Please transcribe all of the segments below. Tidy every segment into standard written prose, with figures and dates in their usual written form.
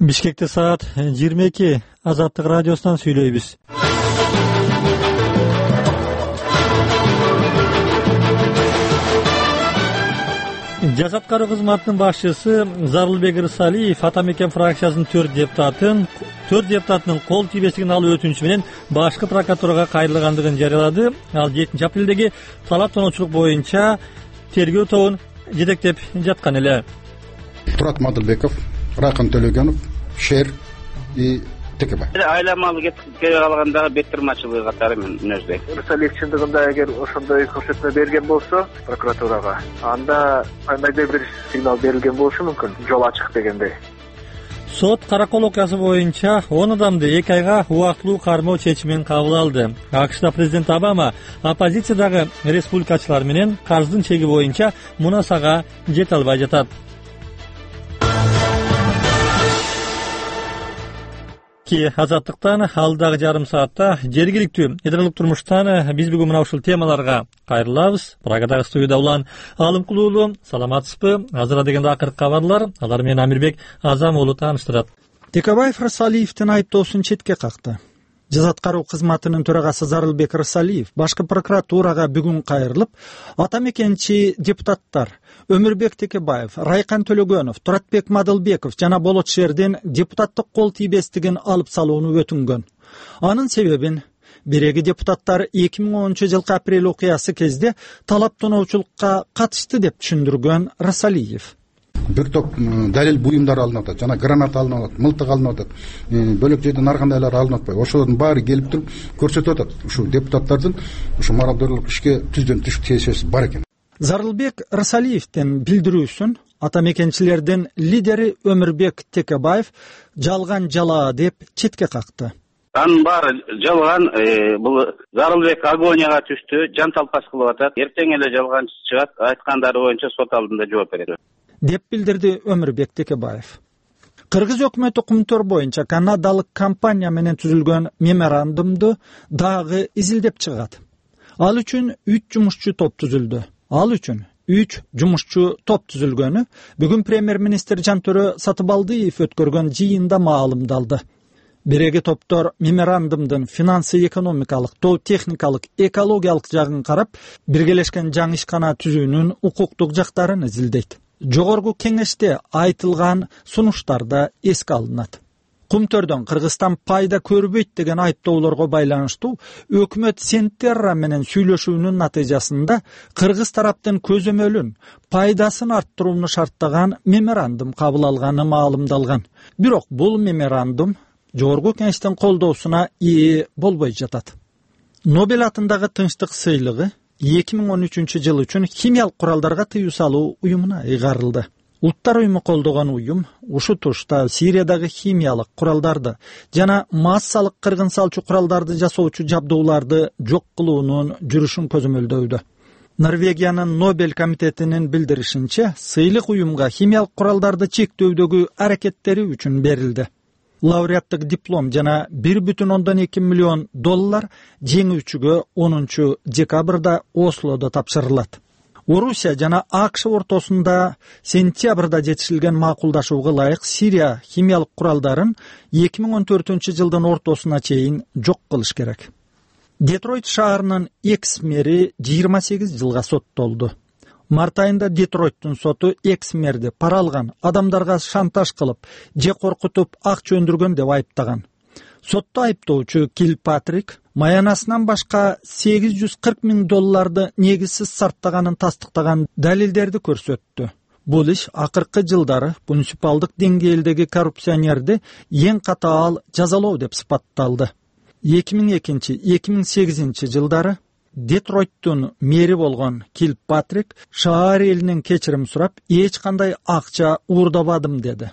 Бишкекте саат 22. Азаттык радиосунан сүйлөйбүз. Жаш аткаруу кызматынын башчысы Зарылбек Рысалиев ата мекен фракциясынын 4 депутатынын кол тийбестигин алуу өтүнүчү менен башкы прокуратурага кайрылгандыгын жарыялады. Ал 7 апрелдеги талап тоноочулук боюнча тергөө тобун жетектеп жаткан эле. Турат Мадылбеков, Райкан Төлөгөнов, Шер и ТКБ. Айламалы кетип калгандагы беттирмачылыгы катары мен мүнөздөйм. Рысалиев чындыгында эгер ошондой көрсөтмө берген болсо прокуратурага, анда кандайдыр бир сигнал берилген болушу мүмкүн, жол ачык дегендей. Сот каракол окуясы боюнча 10 адамды 2 айга убактылуу кармоо чечимин кабыл алды. АКШда президент Обама оппозициядагы республикачылар менен карздын чеги боюнча мунасага жете албай жатат. Азаттыктан алдагы жарым саатта жергиликтүү эдилдик турмуштан биз бүгүн мына ушул темаларга кайрылабыз. Прагадагы студияда Улан Алымкулуулу, саламатсызбы? Азыр дегенде акыркы кабарлар, алар менен Амирбек Азам уулу тааныштырат. Текебаев Рысалиевдин айыптоосун четке какты. Жаш аткаруу кызматынын төрагасы Зарылбек Рысалиев башкы прокуратурага бүгүн кайрылып, ата мекенчи депутаттар Өмүрбек Текебаев, Райкан Төлөгөнов, Туратбек Мадылбеков жана Болот Шердин депутаттык кол тийбестигин алып салууну өтүнгөн. Анын себебин биреги депутаттар 2010-жылкы апрель окуясы кезде талап тоноочулукка катышты деп түшүндүргөн Рысалиев. Бир топ далил буюмдар алынып атат, жана гранат алынып атат, мылтык алынып атат, бөлөк жерден ар кандайлар алынып атпайбы. Ошолордун баары келип туруп көрсөтүп атат. Ушул депутаттардын ушу мародерлук ишке түздөн түшүк тиешеси бар экен. Зарылбек Рысалиевдин билдирүүсүн ата мекенчилердин лидери Өмүрбек Текебаев жалган жала деп четке какты. Анын баары жалган, бул Зарылбек агонияга түштү, жан талпас кылып атат. Эртең эле жалганчы чыгат, айткандары боюнча сот алдында жооп берет деп билдирди Өмүрбек Текебаев. Кыргыз өкмөтү кумтөр боюнча канадалык компания менен түзүлгөн меморандумду дагы изилдеп чыгат. Ал үчүн 3 жумушчу топ түзүлдү. Түзүлгөнү бүгүн премьер-министр Жантөрө Сатыбалдиев өткөргөн жыйында маалымдалды. Биреги топтор меморандумдун финансы экономикалык, тоо техникалык, экологиялык жагын карап, биргелешкен жаңы ишкана түзүүнүн укуктук жактарын изилдейт. Жогорку кеңеште айтылган сунуштарда эске алынат. Кумтөрдөн Кыргызстан пайда көрбөйт деген айыптоолорго байланыштуу өкмөт Сентерра менен сүйлөшүүнүн натыйжасында Кыргыз тараптын көзөмөлүн, пайдасын арттырууну шарттаган меморандум кабыл алганы маалымдалган. Бирок бул меморандум жогорку кеңештин колдоосуна ээ болбой жатат. Нобель атындагы тынчтык сыйлыгы 2013-жыл үчүн химиялык куралдарга тыюу салуу уюмуна ыйгарылды. Улуттар уюму колдогон уюм ушу тушта Сириядагы химиялык куралдарды жана массалык кыргын салчу куралдарды жасоочу жабдууларды жок кылуунун жүрүшүн көзөмөлдөүүдө. Норвегиянын Нобель комитетинин билдиришинче, сыйлык уюмга химиялык куралдарды чектөөдөгү аракеттери үчүн берилди. Лауреаттык диплом жана $1,2 миллион жеңүүчүгө 10 декабрда Ослодо тапшырылат. Орусия жана АКШ ортосунда сентябрда жетишилген макулдашууга ылайык Сирия химиялык куралдарын 2014-жылдын ортосуна чейин жок кылыш керек. Детройт шаарынын экс-мэри 28 жылга соттолду. Март айында Детройттун соту экс-мэрди пара алган, адамдарга шантаж кылып, же коркутуп акча өндүргөн деп айыптаган. Сотто айыптоочу Килпатрик маянасынан башка $840 миң негизсиз сарптаганын тастыктаган далилдерди көрсөттү. Бул иш акыркы жылдары муниципалдык деңгээлдеги коррупционерди эң катаал жазалоо деп сыпатталды. 2002-2008 жылдары Детройттун мэри болгон Килпатрик шаар элинен кечирим сурап, эч кандай акча уурдабадым деди.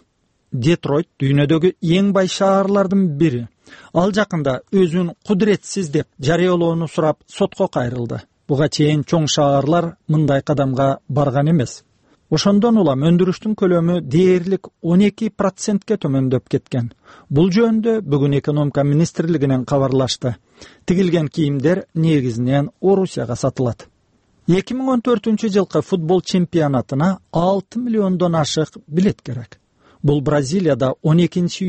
Детройт дүйнөдөгү эң бай шаарлардын бири. Ал жакында өзүн кудуретсиз деп жарыялоону сурап сотко кайрылды. Буга чейин чоң шаарлар мындай кадамга барган эмес. Ошондон улам өндүрүштүн көлөмү дээрлик 12%ке төмөндөп кеткен. Бул жөнүндө бүгүн экономика министрлигинен кабарлашты. Тигилген кийимдер негизинен Орусияга сатылат. 2014-жылкы футбол чемпионатына 6 миллиондон ашык билет керек. бул Бразилияда 12